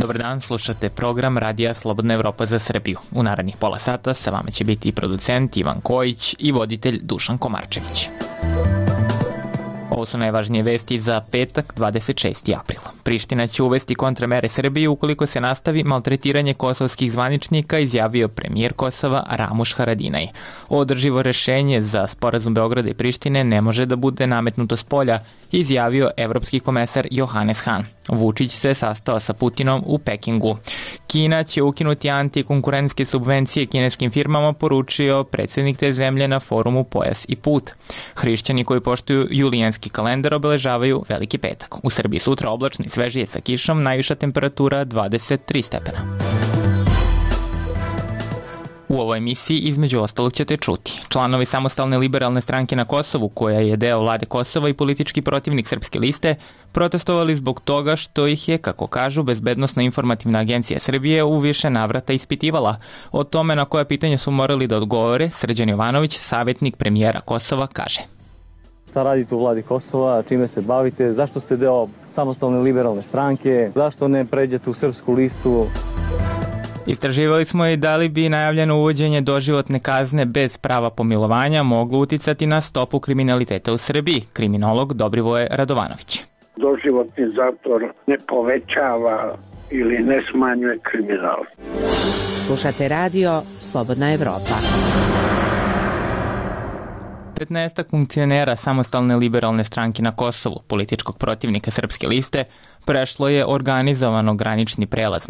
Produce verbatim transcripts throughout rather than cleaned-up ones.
Dobar dan, slušate program Radija Slobodna Evropa za Srbiju. U narednih pola sata sa vama će biti i producent Ivan Kojić i voditelj Dušan Komarčević. Ovo su najvažnije vesti za petak, dvadeset šesti april. Priština će uvesti kontramere Srbiji ukoliko se nastavi maltretiranje kosovskih zvaničnika, izjavio premijer Kosova Ramuš Haradinaj. Održivo rešenje za sporazum Beograda i Prištine ne može da bude nametnuto s polja, izjavio evropski komesar Johannes Hahn. Vučić se sastao sa Putinom u Pekingu. Kina će ukinuti antikonkurentske subvencije kineskim firmama, poručio predsjednik te zemlje na forumu Pojas i put. Hrišćani koji poštuju julijanski kalendar obeležavaju Veliki petak. U Srbiji sutra oblačno i svežije sa kišom, najviša temperatura dvadeset tri stepena. U ovoj emisiji između ostalog ćete čuti. Članovi Samostalne liberalne stranke na Kosovu, koja je deo vlade Kosova i politički protivnik Srpske liste, protestovali zbog toga što ih je, kako kažu, Bezbednosna informativna agencija Srbije u više navrata ispitivala. O tome na koja pitanja su morali da odgovore, Srđan Jovanović, savjetnik premijera Kosova, kaže. Šta radite u vladi Kosova, čime se bavite, zašto ste deo Samostalne liberalne stranke, zašto ne pređete u Srpsku listu? Istraživali smo i da li bi najavljeno uvođenje doživotne kazne bez prava pomilovanja moglo uticati na stopu kriminaliteta u Srbiji, kriminolog Dobrivoje Radovanović. Doživotni zatvor ne povećava ili ne smanjuje kriminal. Slušate radio Slobodna Evropa. petnaestak funkcionera Samostalne liberalne stranke na Kosovu, političkog protivnika Srpske liste, prešlo je organizovano granični prelaz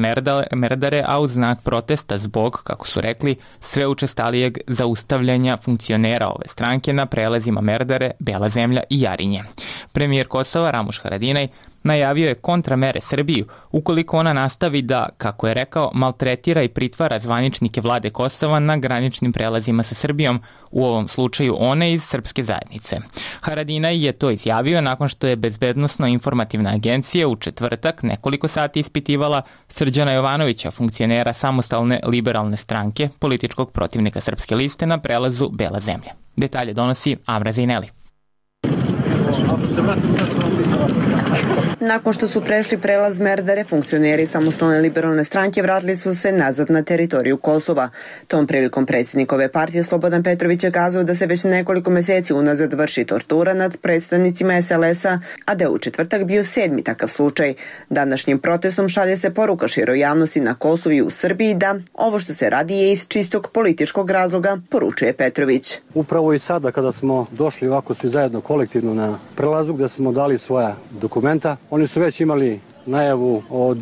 Merdare, a uz znak protesta zbog, kako su rekli, sve učestalijeg zaustavljanja funkcionera ove stranke na prelazima Merdare, Bela zemlja i Jarinje. Premijer Kosova Ramuš Haradinaj najavio je kontramere Srbiju ukoliko ona nastavi da, kako je rekao, maltretira i pritvara zvaničnike vlade Kosova na graničnim prelazima sa Srbijom, u ovom slučaju one iz srpske zajednice. Haradinaj je to izjavio nakon što je Bezbednosno informativna agencija u četvrtak nekoliko sati ispitivala Srđana Jovanovića, funkcionera Samostalne liberalne stranke, političkog protivnika Srpske liste na prelazu Bela zemlja. Detalje donosi Amra Zejneli. Nakon što su prešli prelaz Merdare, funkcioneri Samostalne liberalne stranke vratili su se nazad na teritoriju Kosova. Tom prilikom predsjednikove partije Slobodan Petrović je kazao da se već nekoliko meseci unazad vrši tortura nad predstavnicima es el es-a, a da je u četvrtak bio sedmi takav slučaj. Današnjim protestom šalje se poruka široj javnosti na Kosovu i u Srbiji da ovo što se radi je iz čistog političkog razloga, poručuje Petrović. Upravo i sada kada smo došli ovako svi zajedno kolektivno na prelazu gde smo dali svoja dokumenta, oni su već imali najavu od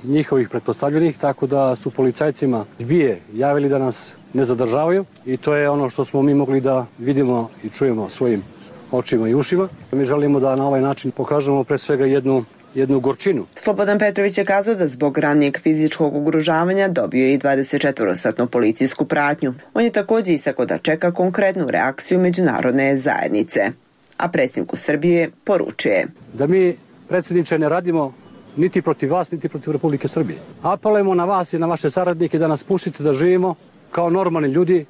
njihovih pretpostavljenih, tako da su policajcima zbije javili da nas ne zadržavaju i to je ono što smo mi mogli da vidimo i čujemo svojim očima i ušima. Mi želimo da na ovaj način pokažemo pre svega jednu jednu gorčinu. Slobodan Petrović je kazao da zbog ranijeg fizičkog ugrožavanja dobio i dvadesetčetvorosatnu policijsku pratnju. On je također istakao da čeka konkretnu reakciju međunarodne zajednice. A predsjedniku Srbije poručuje da mi, predsjedniče, ne radimo niti protiv vas, niti protiv Republike Srbije. Apelujemo na vas i na vaše saradnike da nas pustite da živimo kao normalni ljudi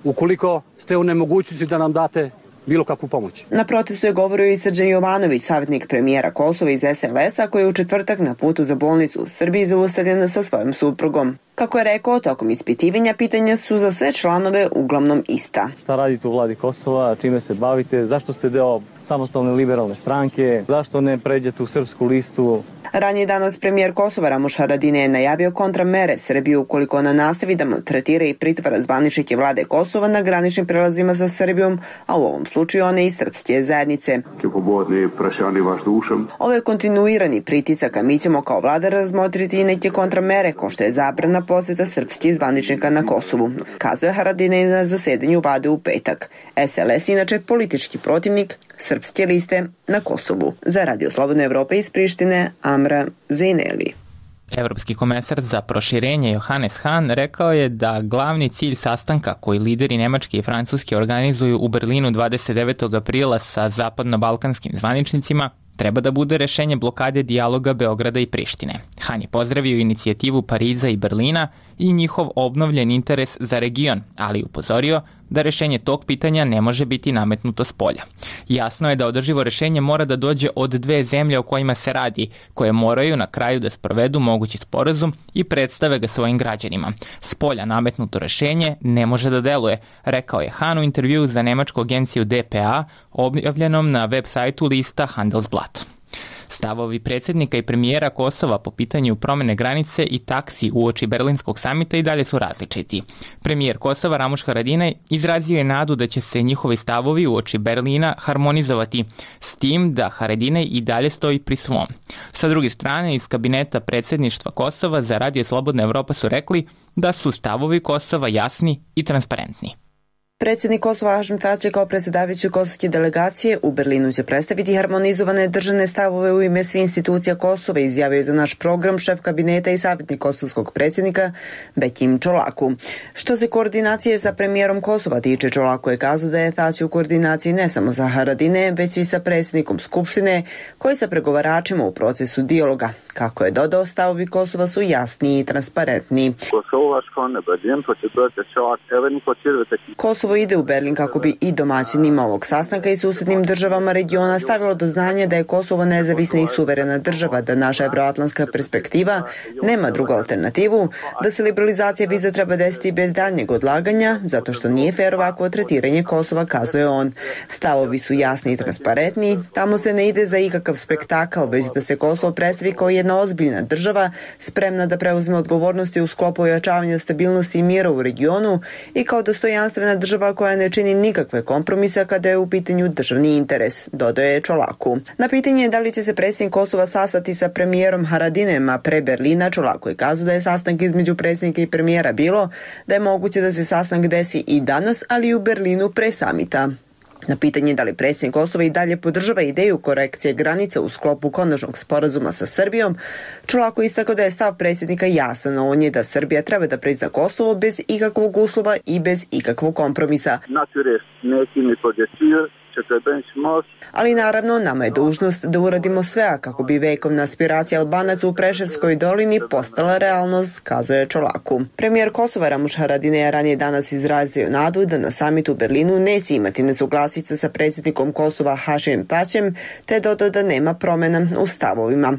ukoliko ste u nemogućnosti da nam date bilo kakvu pomoć. Na protestu je govorio i Srđan Jovanović, savjetnik premijera Kosova iz es el es-a, koji je u četvrtak na putu za bolnicu u Srbiji zaustavljen sa svojom suprugom. Kako je rekao, tokom ispitivanja pitanja su za sve članove uglavnom ista. Šta radite u vladi Kosova, čime se bavite, zašto ste deo Samostalne liberalne stranke, zašto ne pređete u Srpsku listu? Ranije danas premijer Kosova Ramuš Haradinaj je najavio kontramere Srbiju ukoliko ona nastavi da maltretira i pritvara zvaničnike vlade Kosova na graničnim prelazima sa Srbijom, a u ovom slučaju one iz srpske zajednice. Ovo je kontinuirani pritisak, a mi ćemo kao vlada razmotriti i neke kontramere, kao što je zabrana poseta srpskih zvaničnika na Kosovu, kazuje Haradinaj na zasedanju vlade u petak. es el es inače politički protivnik Srpske liste na Kosovu. Za Radio Slobodna Evropa iz Prištine, Amra Zejneli. Evropski komesar za proširenje Johannes Hahn rekao je da glavni cilj sastanka koji lideri Nemačke i Francuske organizuju u Berlinu dvadeset devetog aprila sa zapadno-balkanskim zvaničnicima treba da bude rešenje blokade dijaloga Beograda i Prištine. Hahn je pozdravio inicijativu Pariza i Berlina i njihov obnovljen interes za region, ali upozorio da rešenje tog pitanja ne može biti nametnuto s polja. Jasno je da održivo rešenje mora da dođe od dve zemlje o kojima se radi, koje moraju na kraju da sprovedu mogući sporazum i predstave ga svojim građanima. S polja nametnuto rešenje ne može da deluje, rekao je Han u intervjuu za nemačku agenciju D P A, objavljenom na web sajtu lista Handelsblatt. Stavovi predsjednika i premijera Kosova po pitanju promene granice i taksi uoči Berlinskog samita i dalje su različiti. Premijer Kosova Ramuš Haradinaj izrazio je nadu da će se njihovi stavovi uoči Berlina harmonizovati, s tim da Haradinaj i dalje stoji pri svom. Sa druge strane, iz kabineta predsjedništva Kosova za Radio Slobodna Evropa su rekli da su stavovi Kosova jasni i transparentni. Predsjednik Kosova Hašim Tači kao predsjedavajući kosovske delegacije u Berlinu će predstaviti harmonizovane državne stavove u ime svih institucija Kosova, izjavio je za naš program šef kabineta i savjetnik kosovskog predsjednika Bekim Čolaku. Što se koordinacije sa premijerom Kosova tiče, Čolaku je kazao da je Tači u koordinaciji ne samo sa Haradine, već i sa predsjednikom Skupštine, koji sa pregovaračima u procesu dijaloga. Kako je dodao, stavovi Kosova su jasni i transparentni. Kosovo ide u Berlin kako bi i domaćinima ovog sastanka i susjednim državama regiona stavilo do znanja da je Kosovo nezavisna i suverena država, da naša evroatlantska perspektiva nema drugu alternativu, da se liberalizacija viza treba desiti bez daljnjeg odlaganja, zato što nije fair ovako tretiranje Kosova, kazuje on. Stavovi su jasni i transparentni, tamo se ne ide za ikakav spektakl, već da se Kosovo predstavi kao jedna ozbiljna država, spremna da preuzme odgovornosti u sklopu ojačavanja stabilnosti i mira u regionu i kao dostojanstvena država koja ne čini nikakve kompromise kada je u pitanju državni interes, dodaje Čolaku. Na pitanje da li će se predsjednik Kosova sastati sa premijerom Haradinem, a pre Berlina, Čolaku je kazao da je sastanak između predsjednika i premijera bilo, da je moguće da se sastanak desi i danas, ali i u Berlinu pre samita. Na pitanje da li predsjednik Kosova i dalje podržava ideju korekcije granica u sklopu konačnog sporazuma sa Srbijom, Čolako istakao da je stav predsjednika jasan, on je da Srbija treba da prizna Kosovo bez ikakvog uslova i bez ikakvog kompromisa. Ali naravno, nama je dužnost da uradimo sve kako bi vekovna aspiracija Albanaca u Preševskoj dolini postala realnost, kazuje Čolaku. Premijer Kosova Ramuš Haradinaj je ranije danas izrazio nadu da na samitu u Berlinu neće imati nesuglasice sa predsjednikom Kosova Hašimom Tačem, te dodao da nema promjena u stavovima.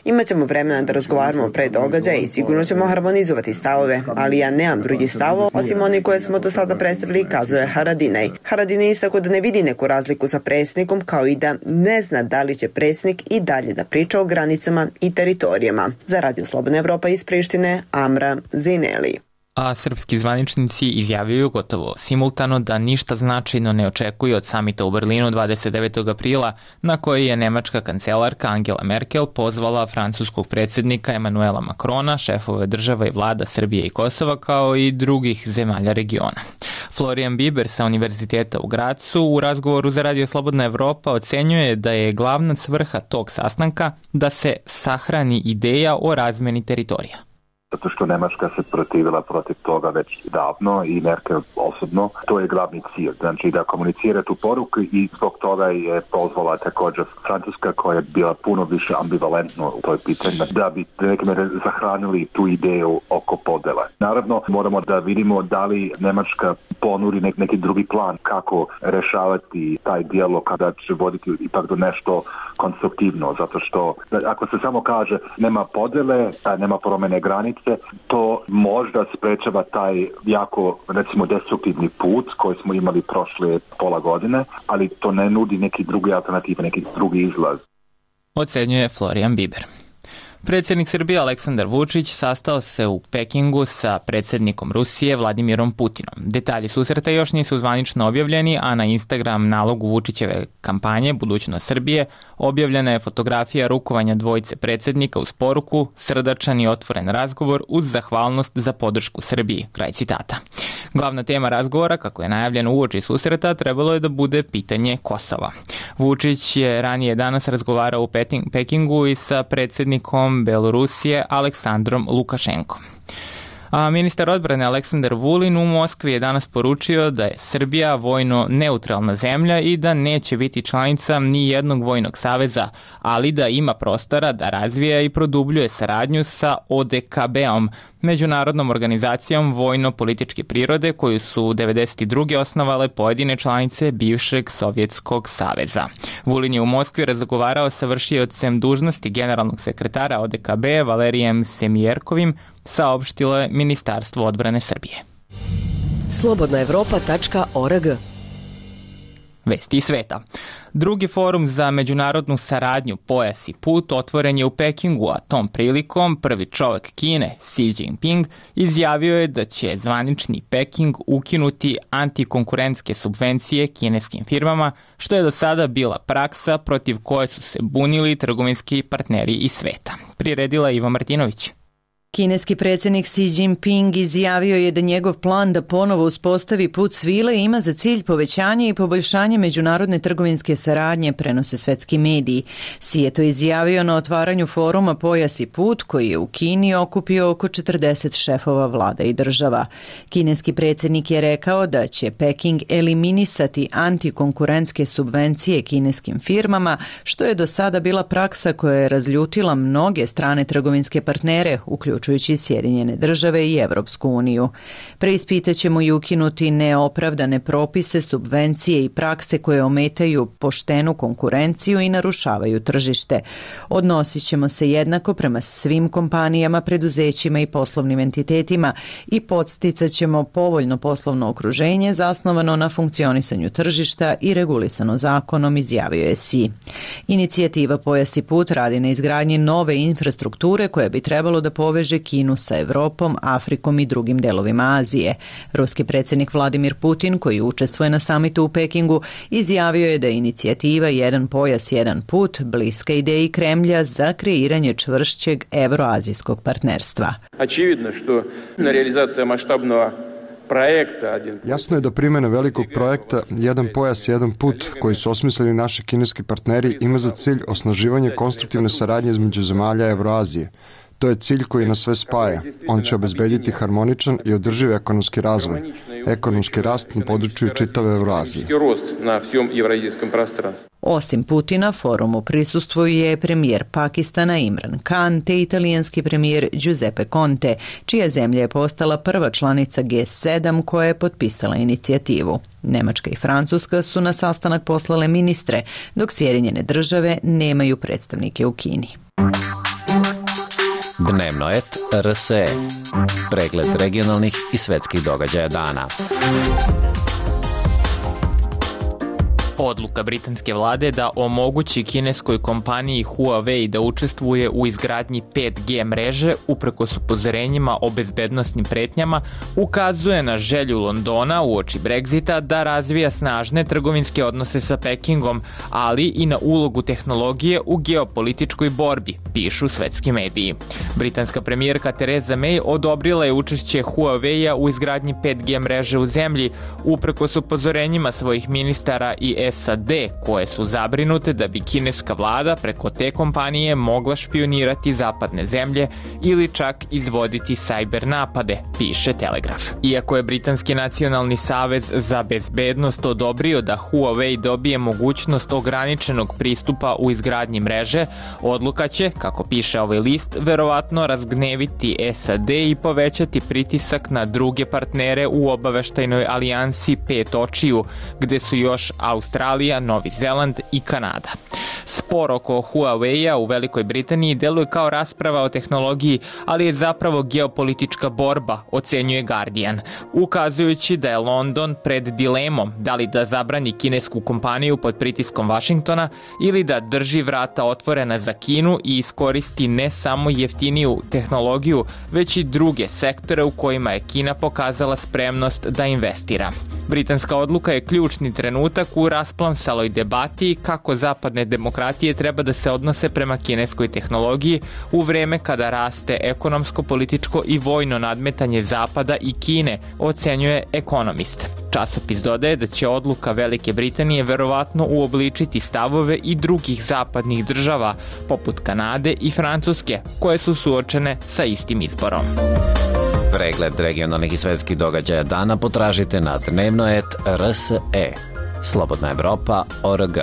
Imaćemo vremena da razgovaramo pre događaja i sigurno ćemo harmonizovati stavove, ali ja nemam drugi stavo osim oni koje smo do sada predstavili, kazuje Haradinaj. Haradinaj istakao da ne vidi neku razliku sa predsjednikom, kao i da ne zna da li će predsjednik i dalje da priča o granicama i teritorijama. Za Radio Slobodna Evropa iz Prištine, Amra Zineli. A srpski zvaničnici izjavljaju gotovo simultano da ništa značajno ne očekuju od samita u Berlinu dvadeset devetog aprila, na koji je nemačka kancelarka Angela Merkel pozvala francuskog predsjednika Emanuela Macrona, šefove država i vlada Srbije i Kosova, kao i drugih zemalja regiona. Florian Biber sa Univerziteta u Gracu u razgovoru za Radio Slobodna Evropa ocenjuje da je glavna svrha tog sastanka da se sahrani ideja o razmeni teritorija. Zato što Nemačka se protivila protiv toga već davno i Merkel osobno. To je glavni cilj, znači da komunicira tu poruku i zbog toga je pozvala također Francuska koja je bila puno više ambivalentno u toj pitanju, da bi nekome zahranili tu ideju oko podele. Naravno, moramo da vidimo da li Nemačka ponudi nek, neki drugi plan kako rešavati taj dijalog kada će voditi ipak do nešto konstruktivno, zato što ako se samo kaže nema podele, nema promene granice, to možda sprečava taj jako, recimo, destruktivni put koji smo imali prošle pola godine, ali to ne nudi neki drugi alternativ, neki drugi izlaz. Ocenjuje Florian Biber. Predsjednik Srbije Aleksandar Vučić sastao se u Pekingu sa predsjednikom Rusije Vladimirom Putinom. Detalji susreta još nisu zvanično objavljeni, a na Instagram nalogu Vučićeve kampanje Budućnost Srbije objavljena je fotografija rukovanja dvojice predsjednika uz poruku srdačan i otvoren razgovor uz zahvalnost za podršku Srbiji. Kraj citata. Glavna tema razgovora, kako je najavljeno uoči susreta, trebalo je da bude pitanje Kosova. Vučić je ranije danas razgovarao u Pekingu i sa predsjednikom Belorusije Aleksandrom Lukašenkom. A ministar odbrane Aleksandar Vulin u Moskvi je danas poručio da je Srbija vojno neutralna zemlja i da neće biti članica ni jednog vojnog saveza, ali da ima prostora da razvija i produbljuje saradnju sa O D K B-om, međunarodnom organizacijom vojno-političke prirode koju su devedeset druge osnovale pojedine članice bivšeg Sovjetskog saveza. Vulin je u Moskvi razgovarao sa vršiocem dužnosti generalnog sekretara O D K B Valerijem Semjerkovim, saopštilo je Ministarstvo odbrane Srbije. slobodna evropa tačka org. Vesti iz sveta. Drugi forum za međunarodnu saradnju Pojas i put otvoren je u Pekingu, a tom prilikom prvi čovek Kine, Xi Jinping, izjavio je da će zvanični Peking ukinuti antikonkurentske subvencije kineskim firmama, što je do sada bila praksa protiv koje su se bunili trgovinski partneri iz sveta. Priredila Iva Martinović. Kineski predsjednik Xi Jinping izjavio je da njegov plan da ponovo uspostavi put svile ima za cilj povećanje i poboljšanje međunarodne trgovinske saradnje, prenose svetski mediji. Xi je to izjavio na otvaranju foruma Pojas i put, koji je u Kini okupio oko četrdeset šefova vlada i država. Kineski predsjednik je rekao da će Peking eliminisati antikonkurentske subvencije kineskim firmama, što je do sada bila praksa koja je razljutila mnoge strane trgovinske partnere, uključujući uključujući Sjedinjene države i Evropsku uniju. Preispitaćemo i ukinuti neopravdane propise, subvencije i prakse koje ometaju poštenu konkurenciju i narušavaju tržište. Odnosit ćemo se jednako prema svim kompanijama, preduzećima i poslovnim entitetima i podsticat ćemo povoljno poslovno okruženje zasnovano na funkcionisanju tržišta i regulisano zakonom, izjavio je Xi. Inicijativa Pojas i put radi na izgradnji nove infrastrukture koja bi trebalo da poveže Kinu sa Evropom, Afrikom i drugim delovima Azije. Ruski predsjednik Vladimir Putin, koji učestvuje na samitu u Pekingu, izjavio je da je inicijativa Jedan pojas, jedan put bliska ideji Kremlja za kreiranje čvršćeg evroazijskog partnerstva. Очевидно, što realizacija maštabnog projekta. Jasno je da primjena velikog projekta Jedan pojas, jedan put, koji su osmislili naši kineski partneri, ima za cilj osnaživanje konstruktivne saradnje između zemalja Evroazije. To je cilj koji nas sve spaja. On će obezbediti harmoničan i održiv ekonomski razvoj, ekonomski rast na području čitave Evroazije. Osim Putina, forumu prisustvuje premijer Pakistana Imran Khan te italijanski premijer Giuseppe Conte, čija zemlja je postala prva članica G sedam koja je potpisala inicijativu. Nemačka i Francuska su na sastanak poslale ministre, dok Sjedinjene države nemaju predstavnike u Kini. Dnevno et R S E. Pregled regionalnih i svetskih događaja dana. Odluka britanske vlade da omogući kineskoj kompaniji Huawei da učestvuje u izgradnji pet G mreže uprkos upozorenjima o bezbednosnim pretnjama ukazuje na želju Londona uoči Brexita da razvija snažne trgovinske odnose sa Pekingom, ali i na ulogu tehnologije u geopolitičkoj borbi, pišu svetski mediji. Britanska premijerka Theresa May odobrila je učešće Huawei-a u izgradnji pet G mreže u zemlji uprkos upozorenjima svojih ministara i S A D koje su zabrinute da bi kineska vlada preko te kompanije mogla špionirati zapadne zemlje ili čak izvoditi sajber napade, piše Telegraf. Iako je Britanski nacionalni savez za bezbednost odobrio da Huawei dobije mogućnost ograničenog pristupa u izgradnji mreže, odluka će, kako piše ovaj list, verovatno razgneviti S A D i povećati pritisak na druge partnere u obaveštajnoj alijansi Pet očiju, gde su još Australija, Novi Zeland i Kanada. Spor oko Huawei-a u Velikoj Britaniji deluje kao rasprava o tehnologiji, ali je zapravo geopolitička borba, ocenjuje Guardian, ukazujući da je London pred dilemom da li da zabrani kinesku kompaniju pod pritiskom Vašingtona ili da drži vrata otvorena za Kinu i iskoristi ne samo jeftiniju tehnologiju, već i druge sektore u kojima je Kina pokazala spremnost da investira. Britanska odluka je ključni trenutak u rasplamsaloj debati kako zapadne demokratije treba da se odnose prema kineskoj tehnologiji u vreme kada raste ekonomsko, političko i vojno nadmetanje Zapada i Kine, ocenjuje Economist. Časopis dodaje da će odluka Velike Britanije verovatno uobličiti stavove i drugih zapadnih država, poput Kanade i Francuske, koje su suočene sa istim izborom. Pregled regionalnih i svetskih događaja dana potražite na dnevnoet tačka r s e. Slobodna Evropa tačka org.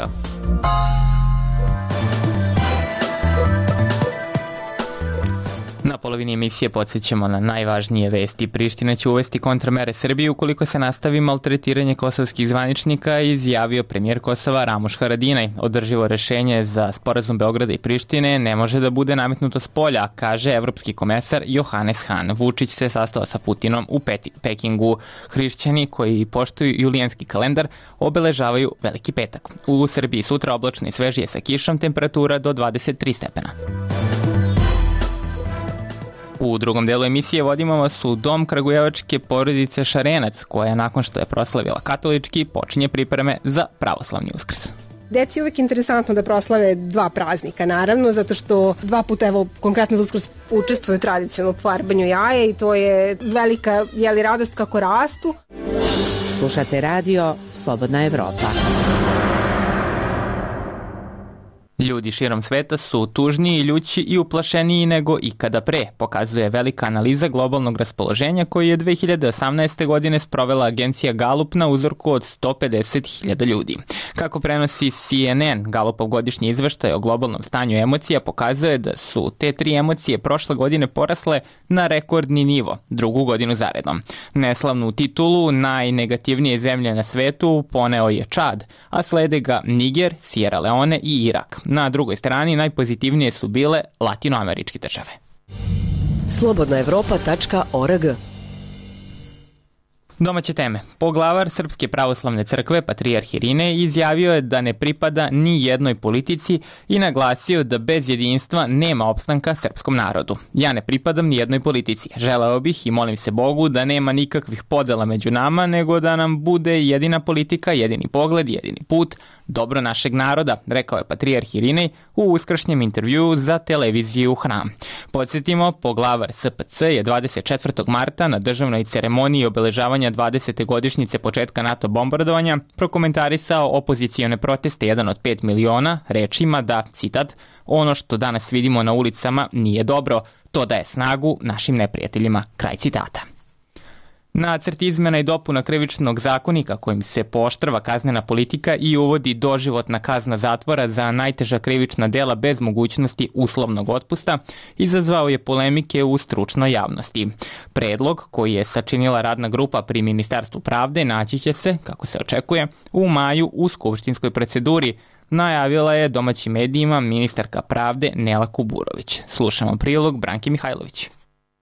Na polovini emisije podsjećamo na najvažnije vesti. Priština će uvesti kontramere Srbiji ukoliko se nastavi maltretiranje kosovskih zvaničnika, izjavio premijer Kosova Ramuš Haradinaj. Održivo rešenje za sporazum Beograda i Prištine ne može da bude nametnuto s polja, kaže evropski komesar Johannes Hahn. Vučić se sastao sa Putinom u Pekingu. Hrišćani koji poštuju julijanski kalendar obeležavaju Veliki petak. U Srbiji sutra oblačno i svežije sa kišom, temperatura do dvadeset tri stepena. U drugom delu emisije vodimo vas u dom kragujevačke porodice Šarenac, koja nakon što je proslavila katolički počinje pripreme za pravoslavni Uskrs. Deci je uvijek interesantno da proslave dva praznika, naravno, zato što dva puta, evo, konkretno za Uskrs učestvuju tradicionalno u farbanju jaja i to je velika, jeli, radost kako rastu. Slušate radio Slobodna Evropa. Ljudi širom sveta su tužniji, ljući i uplašeniji nego ikada pre, pokazuje velika analiza globalnog raspoloženja koju je dve hiljade osamnaeste. godine sprovela agencija Gallup na uzorku od sto pedeset hiljada ljudi. Kako prenosi C N N, Gallupov godišnji izveštaj o globalnom stanju emocija pokazuje da su te tri emocije prošle godine porasle na rekordni nivo, drugu godinu zaredom. Neslavnu titulu najnegativnije zemlje na svetu poneo je Čad, a slede ga Niger, Sierra Leone i Irak. Na drugoj strani najpozitivnije su bile latinoameričke države. slobodna evropa tačka org. Domaće teme. Poglavar Srpske pravoslavne crkve, patrijarh Irinej, izjavio je da ne pripada ni jednoj politici i naglasio da bez jedinstva nema opstanka srpskom narodu. Ja ne pripadam ni jednoj politici. Želeo bih i molim se Bogu da nema nikakvih podela među nama, nego da nam bude jedina politika, jedini pogled, jedini put, dobro našeg naroda, rekao je patrijarh Irinej u uskršnjem intervjuu za televiziju Hram. Podsjetimo, poglavar S P C je dvadeset četvrtog marta na državnoj ceremoniji obeležavanja dvadesete godišnjice početka NATO bombardovanja prokomentarisao opozicione proteste jedan od pet miliona rečima da, citat, ono što danas vidimo na ulicama nije dobro, to daje snagu našim neprijateljima, kraj citata. Nacrt izmena i dopuna krivičnog zakonika kojim se pooštrava kaznena politika i uvodi doživotna kazna zatvora za najteža krivična dela bez mogućnosti uslovnog otpusta izazvao je polemike u stručnoj javnosti. Predlog koji je sačinila radna grupa pri Ministarstvu pravde naći će se, kako se očekuje, u maju u skupštinskoj proceduri, najavila je domaćim medijima ministarka pravde Nela Kuburović. Slušamo prilog Branke Mihajlović.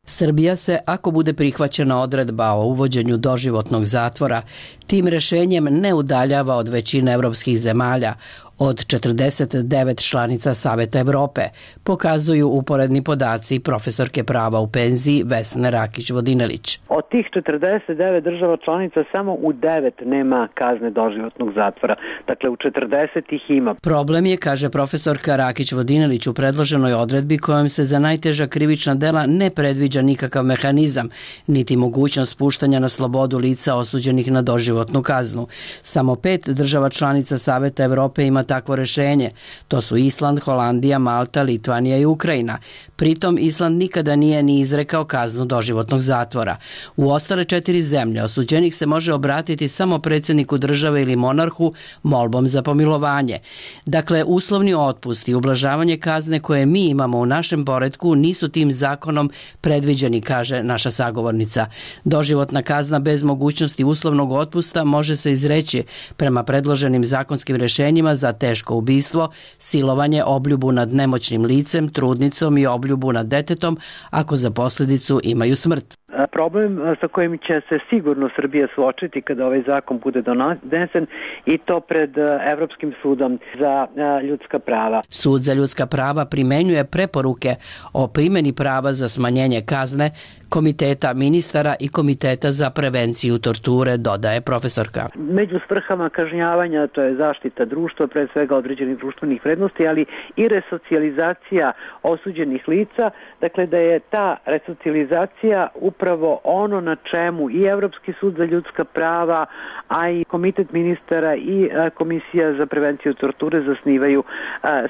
Srbija se, ako bude prihvaćena odredba o uvođenju doživotnog zatvora, tim rešenjem ne udaljava od većine evropskih zemalja, od četrdeset devet članica Saveta Evrope, pokazuju uporedni podaci profesorke prava u penziji Vesne Rakić-Vodinelić. Od tih četrdeset devet država članica samo u devet nema kazne doživotnog zatvora. Dakle, u četrdeset ih ima. Problem je, kaže profesorka Rakić-Vodinelić, u predloženoj odredbi kojom se za najteža krivična dela ne predviđa nikakav mehanizam, niti mogućnost puštanja na slobodu lica osuđenih na doživotnu kaznu. Samo pet država članica Saveta Evrope ima takvo rešenje. To su Island, Holandija, Malta, Litvanija i Ukrajina. Pritom Island nikada nije ni izrekao kaznu doživotnog zatvora. U ostale četiri zemlje osuđenih se može obratiti samo predsjedniku države ili monarhu molbom za pomilovanje. Dakle, uslovni otpust i ublažavanje kazne koje mi imamo u našem poretku nisu tim zakonom predviđeni, kaže naša sagovornica. Doživotna kazna bez mogućnosti uslovnog otpusta može se izreći prema predloženim zakonskim rešenjima za teško ubistvo, silovanje, obljubu nad nemoćnim licem, trudnicom i obljubu nad detetom ako za posljedicu imaju smrt. Problem sa kojim će se sigurno Srbija suočiti kada ovaj zakon bude donesen i to pred Evropskim sudom za ljudska prava. Sud za ljudska prava primenjuje preporuke o primjeni prava za smanjenje kazne Komiteta ministara i Komiteta za prevenciju torture, dodaje profesorka. Među svrhama kažnjavanja to je zaštita društva, pre svega određenih društvenih vrednosti, ali i resocijalizacija osuđenih lica, dakle da je ta resocijalizacija upravo ono na čemu i Evropski sud za ljudska prava, a i Komitet ministara i Komisija za prevenciju torture zasnivaju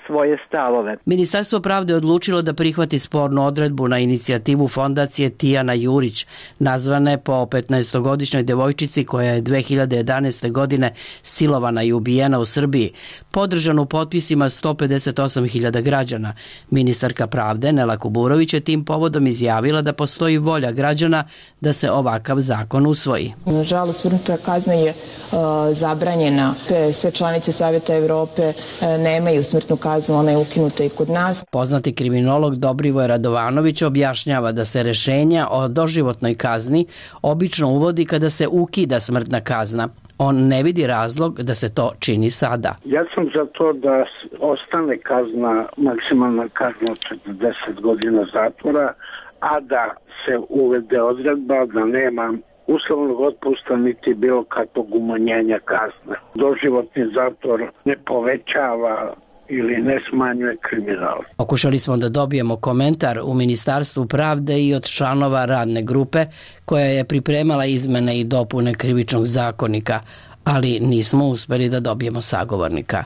svoje stavove. Ministarstvo pravde odlučilo da prihvati spornu odredbu na inicijativu fondacije T Dijana Jurić, nazvane po petnaestogodišnjoj devojčici koja je dve hiljade jedanaeste. godine silovana i ubijena u Srbiji, podržanu potpisima sto pedeset osam hiljada građana. Ministarka pravde Nela Kuburović je tim povodom izjavila da postoji volja građana da se ovakav zakon usvoji. Nažalost, svrnuta kazna je uh, zabranjena. Sve članice Savjeta Evrope uh, nemaju smrtnu kaznu, ona je ukinuta i kod nas. Poznati kriminolog Dobrivoje Radovanović objašnjava da se rešenja o doživotnoj kazni obično uvodi kada se ukida smrtna kazna. On ne vidi razlog da se to čini sada. Ja sam za to da ostane kazna, maksimalna kazna od četrdeset godina zatvora, a da se uvede odredba da nema uslovnog otpusta niti bilo kakvog umanjenja kazne. Doživotni zatvor ne povećava ili ne smanjuje kriminal. Pokušali smo da dobijemo komentar u Ministarstvu pravde i od članova radne grupe koja je pripremala izmene i dopune Krivičnog zakonika, ali nismo uspeli da dobijemo sagovornika.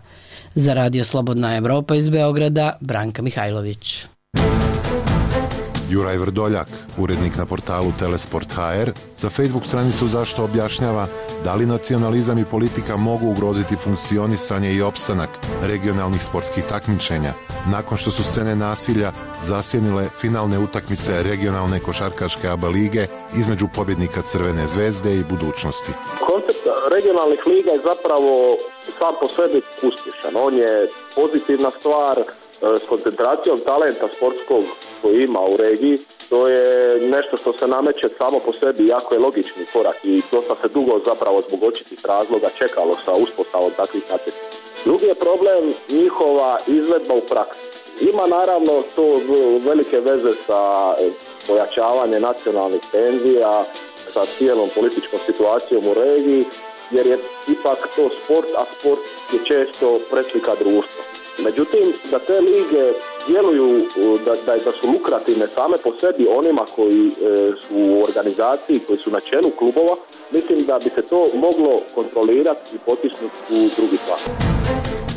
Za Radio Slobodna Evropa iz Beograda, Branka Mihajlović. Juraj Vrdoljak, urednik na portalu Telesport H R, za Facebook stranicu Zašto objašnjava da li nacionalizam i politika mogu ugroziti funkcionisanje i opstanak regionalnih sportskih takmičenja, nakon što su scene nasilja zasjenile finalne utakmice regionalne košarkaške A B A lige između pobjednika Crvene zvezde i Budućnosti. Koncept regionalnih liga je zapravo sam po sebi uspješan. On je pozitivna stvar s koncentracijom talenta sportskog koji ima u regiji. To je nešto što se nameće samo po sebi, jako je logični korak i dosta se dugo zapravo zbog očitih razloga čekalo sa uspostavom takvih natjecanja. Drugi je problem njihova izvedba u praksi. Ima naravno to velike veze sa pojačavanjem nacionalnih tenzija, sa cijelom političkom situacijom u regiji, jer je ipak to sport, a sport je često preslika društva. Međutim, da te lige djeluju, da, da, da su lukrativne same po sebi onima koji e, su u organizaciji, koji su na čelu klubova, mislim da bi se to moglo kontrolirati i potisnuti u drugi plan.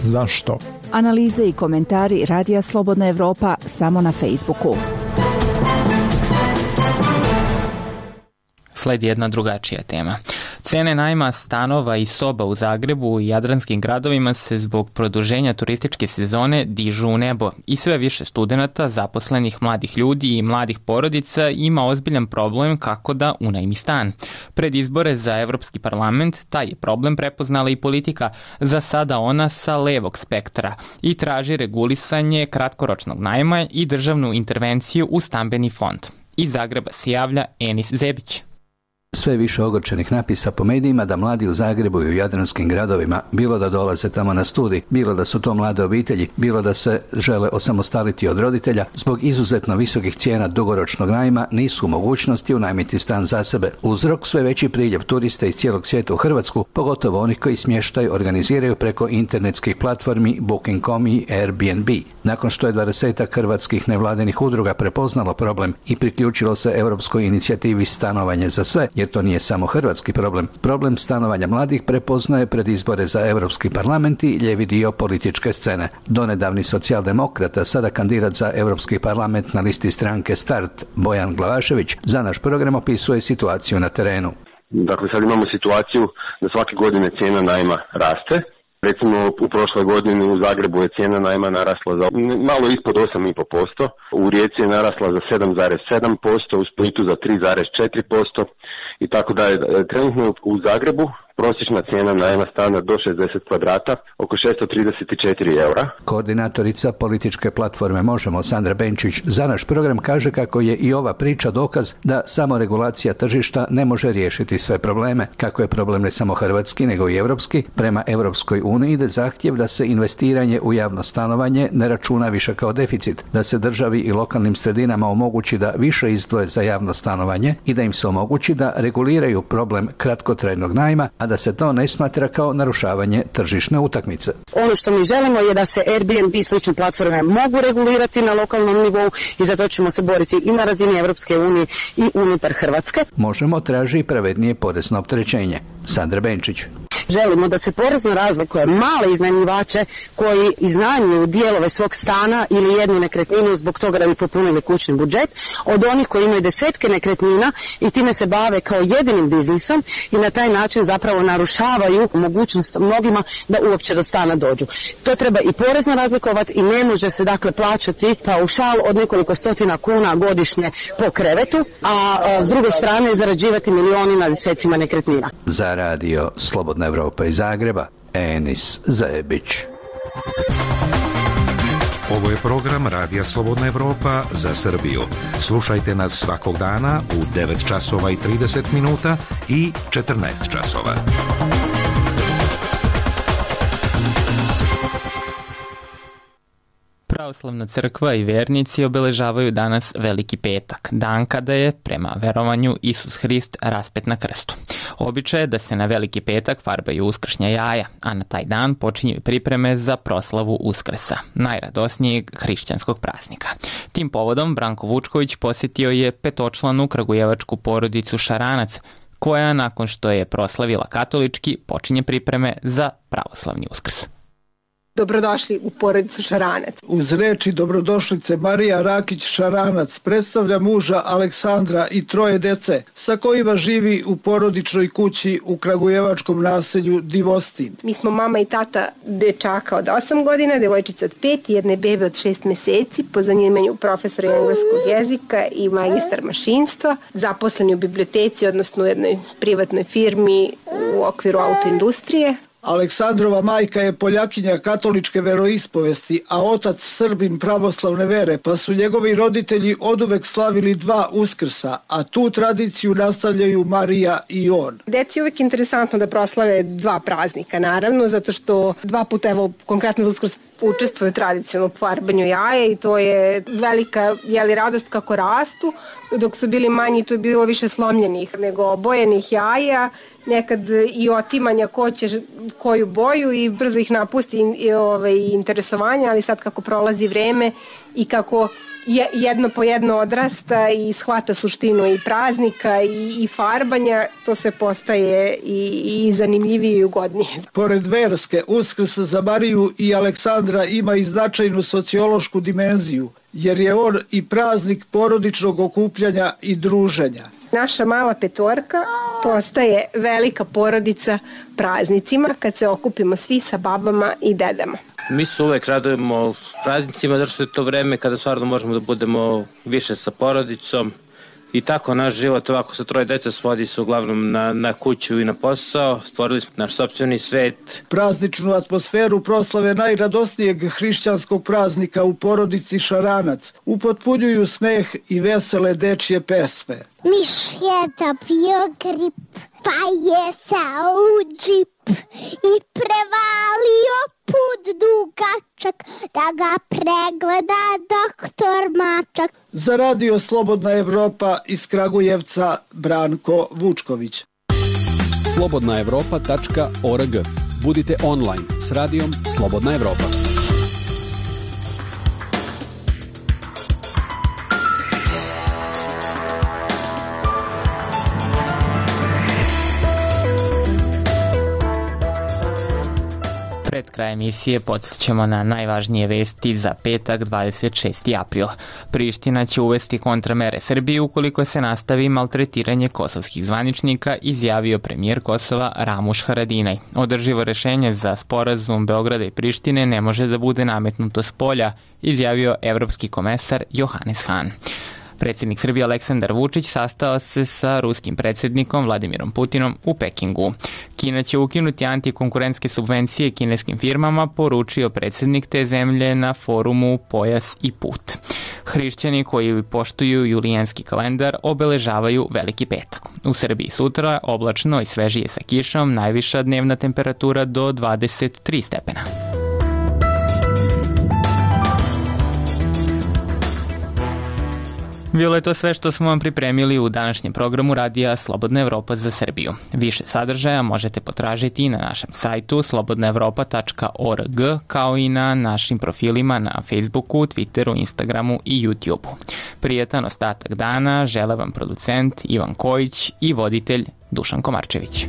Zašto? Analize i komentari Radija Slobodna Evropa samo na Facebooku. Sledi jedna drugačija tema. Cene najma stanova i soba u Zagrebu i jadranskim gradovima se zbog produženja turističke sezone dižu u nebo i sve više studenata, zaposlenih mladih ljudi i mladih porodica ima ozbiljan problem kako da unajmi stan. Pred izbore za Evropski parlament taj je problem prepoznala i politika, za sada ona sa levog spektra, i traži regulisanje kratkoročnog najma i državnu intervenciju u stambeni fond. Iz Zagreba se javlja Enis Zebić. Sve više ogorčenih napisa po medijima da mladi u Zagrebu i u jadranskim gradovima, bilo da dolaze tamo na studij, bilo da su to mlade obitelji, bilo da se žele osamostaliti od roditelja, zbog izuzetno visokih cijena dugoročnog najma nisu u mogućnosti unajmiti stan za sebe. Uzrok sve veći priljev turista iz cijelog svijeta u Hrvatsku, pogotovo onih koji smještaj organiziraju preko internetskih platformi booking dot com i Airbnb. Nakon što je dvadesetak hrvatskih nevladinih udruga prepoznalo problem i priključilo se europskoj inicijativi Stanovanje za sve, jer to nije samo hrvatski problem. Problem stanovanja mladih prepoznaje pred izbore za Europski parlament i ljevi dio političke scene. Donedavni socijaldemokrata, sada kandidat za Europski parlament na listi stranke Start, Bojan Glavašević, za naš program opisuje situaciju na terenu. Dakle, sad imamo situaciju da svake godine cijena najma raste. Recimo, u prošloj godini u Zagrebu je cijena najma narasla za malo ispod osam zarez pet posto, u Rijeci je narasla za sedam zarez sedam posto, u Splitu za tri zarez četiri posto i tako dalje. Trenutno u Zagrebu prosječna cijena najma stana do šezdeset kvadrata, oko šesto trideset četiri eura. Koordinatorica političke platforme Možemo, Sandra Benčić, za naš program kaže kako je i ova priča dokaz da samo regulacija tržišta ne može riješiti sve probleme. Kako je problem ne samo hrvatski, nego i evropski, prema Europskoj uniji ide zahtjev da se investiranje u javno stanovanje ne računa više kao deficit, da se državi i lokalnim sredinama omogući da više izdvoje za javno stanovanje i da im se omogući da reguliraju problem kratkotrajnog najma, a da se to ne smatra kao narušavanje tržišne utakmice. Ono što mi želimo je da se Airbnb i slične platforme mogu regulirati na lokalnom nivou i za to ćemo se boriti i na razini Europske unije i unutar Hrvatske. Možemo traži pravednije porezno opterećenje. Sandra Benčić. Želimo da se porezno razlikuje male iznajmljivače koji iznajmljuju dijelove svog stana ili jednu nekretninu zbog toga da bi popunili kućni budžet, od onih koji imaju desetke nekretnina i time se bave kao jedinim biznisom i na taj način zapravo narušavaju mogućnost mnogima da uopće do stana dođu. To treba i porezno razlikovati i ne može se dakle plaćati paušal od nekoliko stotina kuna godišnje po krevetu, a, a s druge strane zarađivati milioni na desecima nekretnina. Za radio Slobodna Evropa iz Zagreba, Enis Zajebić. Ovo je program Radija Slobodna Evropa za Srbiju. Slušajte nas svakog dana u devet časova i trideset minuta i četrnaest časova. Pravoslavna crkva i vernici obeležavaju danas Veliki petak, dan kada je, prema verovanju, Isus Hrist raspet na krstu. Običaj je da se na Veliki petak farbaju uskršnja jaja, a na taj dan počinju pripreme za proslavu Uskrsa, najradosnijeg hrišćanskog praznika. Tim povodom Branko Vučković posjetio je petočlanu kragujevačku porodicu Šaranac, koja nakon što je proslavila katolički počinje pripreme za pravoslavni Uskrs. Dobrodošli u porodicu Šaranac. Uz reči dobrodošlice Marija Rakić Šaranac predstavlja muža Aleksandra i troje dece sa kojima živi u porodičnoj kući u kragujevačkom naselju Divostin. Mi smo mama i tata dečaka od osam godina, devojčice od pet i jedne bebe od šest meseci, po zanimanju profesora engleskog jezika i magistar mašinstva, zaposleni u biblioteci, odnosno u jednoj privatnoj firmi u okviru autoindustrije. Aleksandrova majka je Poljakinja katoličke veroispovesti, a otac Srbin pravoslavne vere, pa su njegovi roditelji oduvek slavili dva Uskrsa, a tu tradiciju nastavljaju Marija i on. Deci je uvek interesantno da proslave dva praznika, naravno, zato što dva puta, evo, konkretno za Uskrs učestvuju tradicionalno u farbanju jaja i to je velika, jeli, radost kako rastu. Dok su bili manji, to je bilo više slomljenih nego obojenih jaja, nekad i otimanja ko će koju boju i brzo ih napusti i, ove, i interesovanje, ali sad kako prolazi vreme i kako jedno po jedno odrasta i shvata suštinu i praznika i, i farbanja, to sve postaje i, i zanimljivije i ugodnije. Pored verske, Uskrs za Mariju i Aleksandra ima i značajnu sociološku dimenziju, jer je on i praznik porodičnog okupljanja i druženja. Naša mala petorka postaje velika porodica praznicima kad se okupimo svi sa babama i dedama. Mi se uvek radujemo praznicima zato što je to vreme kada stvarno možemo da budemo više sa porodicom i tako naš život ovako sa troje dece svodi se uglavnom na, na kuću i na posao. Stvorili smo naš sopstveni svet. Prazničnu atmosferu proslave najradosnijeg hrišćanskog praznika u porodici Šaranac upotpunjuju smeh i vesele dečje pesme. Miš je dobio grip, pa je sao u džip i prevalio put dugačak da ga pregleda doktor Mačak. Za radio Slobodna Evropa iz Kragujevca Branko Vučković. slobodna evropa tačka org. Budite online s radijom Slobodna Evropa. Pred kraj emisije podsjećamo na najvažnije vesti za petak dvadeset šesti april. Priština će uvesti kontramere Srbiji ukoliko se nastavi maltretiranje kosovskih zvaničnika, izjavio premijer Kosova Ramuš Haradinaj. Održivo rešenje za sporazum Beograda i Prištine ne može da bude nametnuto s polja, izjavio evropski komesar Johannes Hahn. Predsjednik Srbije Aleksandar Vučić sastao se sa ruskim predsjednikom Vladimirom Putinom u Pekingu. Kina će ukinuti antikonkurentske subvencije kineskim firmama, poručio predsjednik te zemlje na forumu Pojas i put. Hrišćani koji poštuju julijanski kalendar obeležavaju Veliki petak. U Srbiji sutra oblačno i svežije sa kišom, najviša dnevna temperatura do dvadeset tri stepena. Bilo je to sve što smo vam pripremili u današnjem programu Radija Slobodna Evropa za Srbiju. Više sadržaja možete potražiti i na našem sajtu slobodna evropa tačka org, kao i na našim profilima na Facebooku, Twitteru, Instagramu i YouTubeu. Prijetan ostatak dana žele vam producent Ivan Kojić i voditelj Dušan Komarčević.